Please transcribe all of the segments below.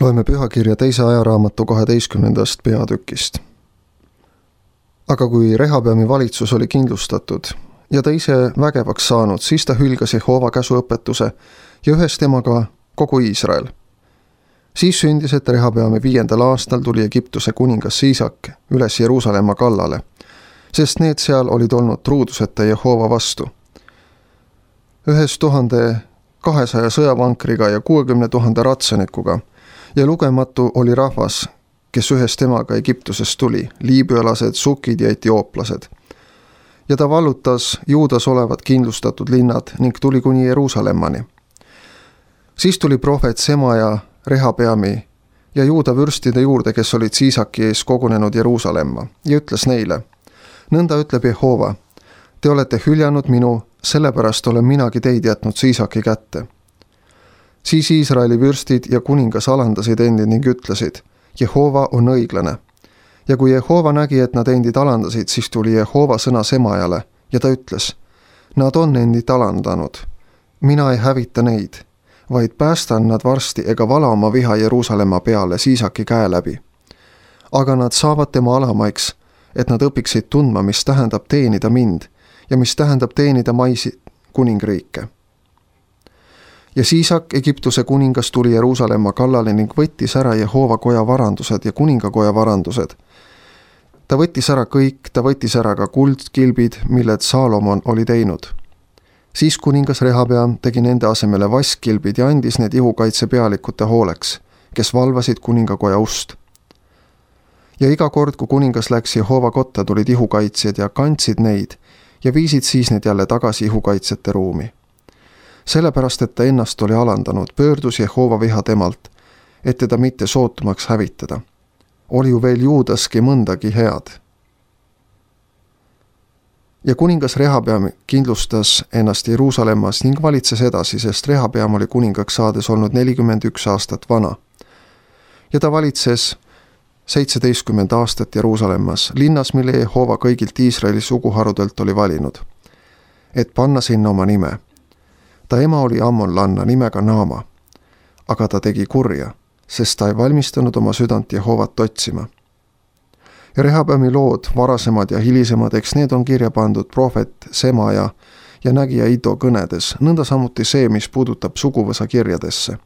Loeme pühakirja teise ajaraamatu 12. peatükist. Aga kui Rehabeami valitsus oli kindlustatud ja ta ise vägevaks saanud, siis ta hülgas Jehova käsuõpetuse ja ühes temaga kogu Iisrael. Siis sündis, et Rehabeami 5. aastal tuli Egiptuse kuningas Siisak üles Jeruusalemma kallale, sest need seal olid olnud truuduseta Jehova vastu. 1200 sõjavankriga ja 60 000 ratsanikuga ja lugematu oli rahvas, kes ühes temaga Egiptusest tuli, liibüalased, sukid ja etiooplased. Ja ta vallutas Juudas olevad kindlustatud linnad ning tuli kuni Jeruusalemmani. Siis tuli prohvet Semaja Rehabeami ja Juuda vürstide juurde, kes olid Siisaki ees kogunenud Jeruusalemma, ja ütles neile: nõnda ütleb Jehova, te olete hüljanud minu, sellepärast olen minagi teid jätnud Siisaki kätte. Siis Iisraeli vürstid ja kuningas alandasid endid ning ütlesid: Jehova on õiglane. Ja kui Jehova nägi, et nad endid alandasid, siis tuli Jehova sõna Semajale ja ta ütles: nad on endid alandanud. Mina ei hävita neid, vaid päästan nad varsti ega vala oma viha Jeruusalemma peale Siisaki käe läbi. Aga nad saavad tema alamaiks, et nad õpiksid tundma, mis tähendab teenida mind ja mis tähendab teenida maisi kuningriike. Ja Siisak, Egiptuse kuningas, tuli Jeruusalemma kallale ning võttis ära Jehova koja varandused ja kuningakoja varandused. Ta võttis ära kõik, ta võttis ära ka kuldkilbid, milled Saalomon oli teinud. Siis kuningas Rehabeam tegi nende asemele vaskkilbid ja andis need ihukaitse pealikute hooleks, kes valvasid kuningakoja ust. Ja iga kord, kui kuningas läks Jehova kotta, tulid ihukaitsjad ja kandsid neid ja viisid siis need jälle tagasi ihukaitsjate ruumi. Sellepärast, et ta ennast oli alandanud, pöördus Jehova viha temalt, et teda mitte sootumaks hävitada. Oli ju veel Juudaski mõndagi head. Ja kuningas Rehabeam kindlustas ennast Jeruusalemmas ning valitses edasi, sest Rehabeam oli kuningaks saades olnud 41 aastat vana. Ja ta valitses 17 aastat Jeruusalemmas, linnas, mille Jehova kõigilt Iisraeli suguharudelt oli valinud, et panna sinna oma nime. Ta ema oli ammonlanna nimega Naama, aga ta tegi kurja, sest ta ei valmistanud oma südant Jehovat otsima. Ja Rehabeami lood, varasemad ja hilisemad, eks need on kirja pandud prohvet Semaja ja nägija Ido kõnedes, nõnda samuti see, mis puudutab suguvõsa kirjadesse.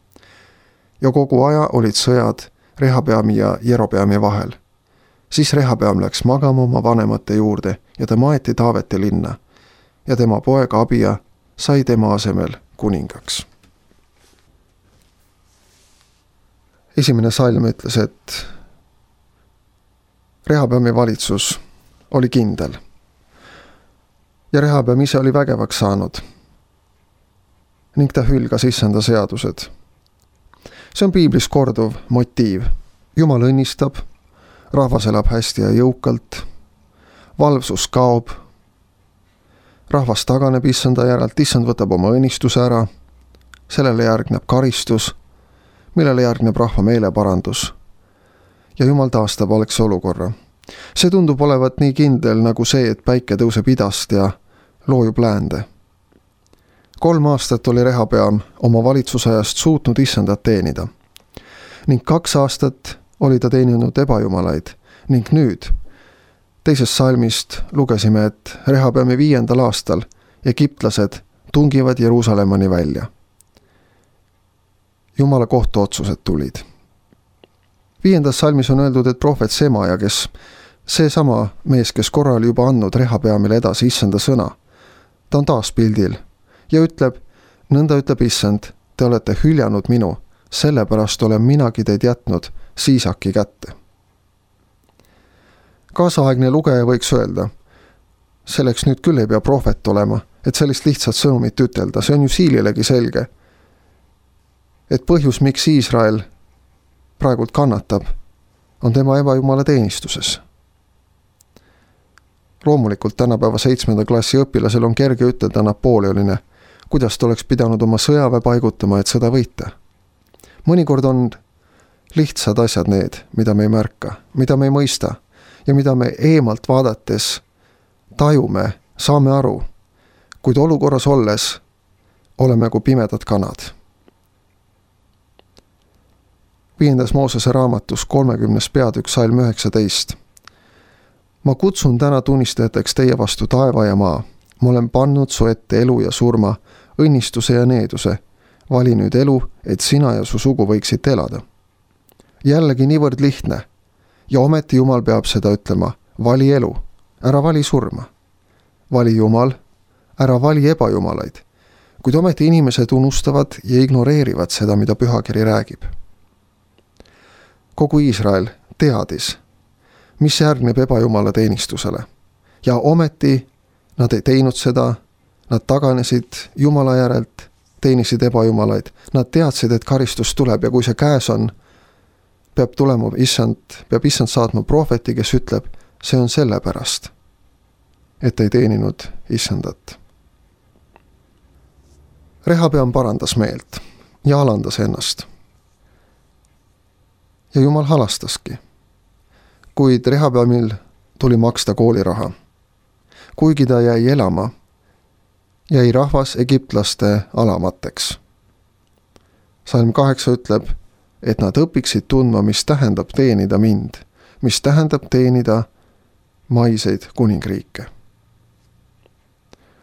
Ja kogu aja olid sõjad Rehabeami ja Jerobeami vahel. Siis Rehabeam läks magama oma vanemate juurde ja ta maeti Taaveti linna ja tema poeg Abia sai tema asemel kuningaks. Esimene salm ütles, et Rehabeami valitsus oli kindel ja Rehabeam ise oli vägevaks saanud ning ta hülgas issanda seadused. See on piiblis korduv motiiv. Jumal õnnistab, rahvas elab hästi ja jõukalt, valvsus kaob, rahvas taganeb issanda järelt, issand võtab oma õnnistuse ära, sellele järgneb karistus, millele järgneb rahva meeleparandus ja Jumal taastab algse olukorra. See tundub olevat nii kindel nagu see, et päike tõuseb idast ja loojub läände. 3 aastat oli Rehabeam oma valitsusajast suutnud issandat teenida ning 2 aastat oli ta teeninud ebajumalaid ning nüüd teisest salmist lugesime, et Rehabeami 5. aastal egiptlased tungivad Jeruusalemmani välja. Jumala kohtuotsused tulid. 5. salmis on öeldud, et prohvet Semaja, kes seesama mees, kes korra oli juba andnud Rehabeamile edasi issanda sõna, ta on taas pildil ja ütleb: nõnda ütleb issand, te olete hüljanud minu, sellepärast olen minagi teid jätnud Siisaki kätte. Kaasaegne lugeja võiks öelda: selleks nüüd küll ei pea prohvet olema, et sellist lihtsat sõnumit ütelda, see on ju siililegi selge, et põhjus, miks Iisrael praegult kannatab, on tema ebajumala teenistuses. Loomulikult tänapäeva 7. klassi õpilasel on kerge ütelda Napoleonile, kuidas ta oleks pidanud oma sõjaväe paigutama, et sõda võita. Mõnikord on lihtsad asjad need, mida me ei märka, mida me ei mõista ja mida me eemalt vaadates tajume, saame aru, kuid olukorras olles oleme kui pimedad kanad. 5. Moosese raamatus 30. peatükk salm 19. Ma kutsun täna tunnistajateks teie vastu taeva ja maa. Ma olen pannud su ette elu ja surma, õnnistuse ja needuse. Vali nüüd elu, et sina ja su sugu võiksid elada. Jällegi niivõrd lihtne. Ja ometi Jumal peab seda ütlema. Vali elu, ära vali surma. Vali Jumal, ära vali ebajumalaid. Kuid ometi inimesed unustavad ja ignoreerivad seda, mida pühakiri räägib. Kogu Iisrael teadis, mis järgneb ebajumala teenistusele. Ja ometi nad ei teinud seda, nad taganesid Jumala järelt, teenisid ebajumalaid. Nad teadsid, et karistus tuleb ja kui see käes on, peab issand saatma prohveti, kes ütleb, see on sellepärast, et ei teeninud issandat. Rehabeam parandas meelt ja alandas ennast. Ja Jumal halastaski. Kuid Rehabeamil tuli maksta kooliraha. Kuigi ta jäi elama, jäi rahvas egiptlaste alamateks. Salm 8 ütleb, et nad õpiksid tundma, mis tähendab teenida mind, mis tähendab teenida maiseid kuningriike.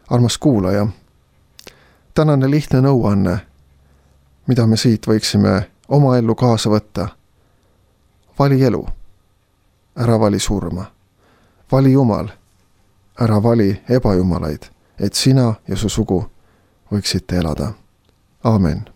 Armas kuulaja, tänane lihtne nõuanne, mida me siit võiksime oma ellu kaasa võtta. Vali elu, ära vali surma. Vali Jumal, ära vali ebajumalaid, et sina ja su sugu võiksite elada. Aamen.